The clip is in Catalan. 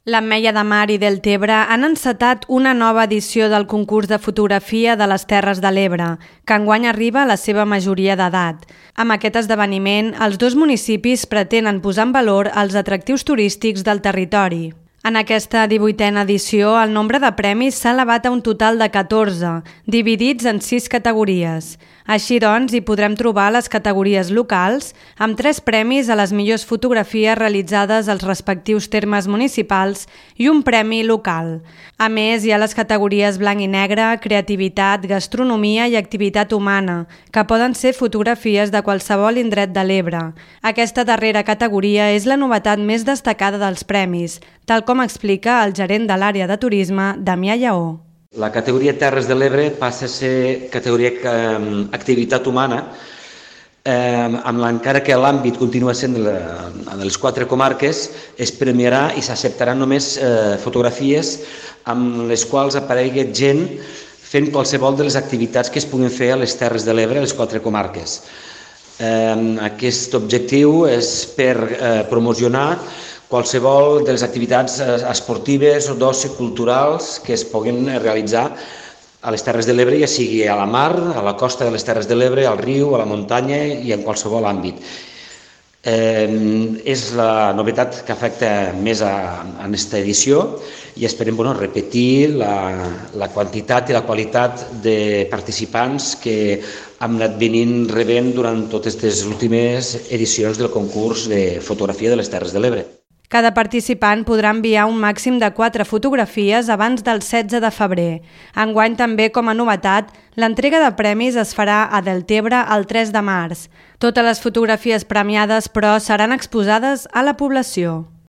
L'Ametlla de Mar i Deltebre han encetat una nova edició del concurs de fotografia de les Terres de l'Ebre, que enguany arriba a la seva majoria d'edat. Amb aquest esdeveniment, els dos municipis pretenen posar en valor els atractius turístics del territori. En aquesta 18a edició, el nombre de premis s'ha elevat a un total de 14, dividits en 6 categories. Així doncs, hi podrem trobar les categories locals, amb 3 premis a les millors fotografies realitzades als respectius termes municipals i un premi local. A més, hi ha les categories blanc i negre, creativitat, gastronomia i activitat humana, que poden ser fotografies de qualsevol indret de l'Ebre. Aquesta darrera categoria és la novetat més destacada dels premis, tal com explica el gerent de l'àrea de turisme, Damià Lleó. La categoria Terres de l'Ebre passa a ser categoria activitat humana, encara que l'àmbit continua sent de les 4 comarques, es premiarà i s'acceptaran només fotografies amb les quals aparegui gent fent qualsevol de les activitats que es puguin fer a les Terres de l'Ebre, a les 4 comarques. Aquest objectiu és per promocionar qualsevol de les activitats esportives o d'oci culturals que es puguin realitzar a les Terres de l'Ebre, ja sigui a la mar, a la costa de les Terres de l'Ebre, al riu, a la muntanya i en qualsevol àmbit. És la novetat que afecta més en aquesta edició i esperem repetir la quantitat i la qualitat de participants que hem anat venint rebent durant totes les últimes edicions del concurs de fotografia de les Terres de l'Ebre. Cada participant podrà enviar un màxim de 4 fotografies abans del 16 de febrer. Enguany també, com a novetat, l'entrega de premis es farà a Deltebre el 3 de març. Totes les fotografies premiades, però, seran exposades a la població.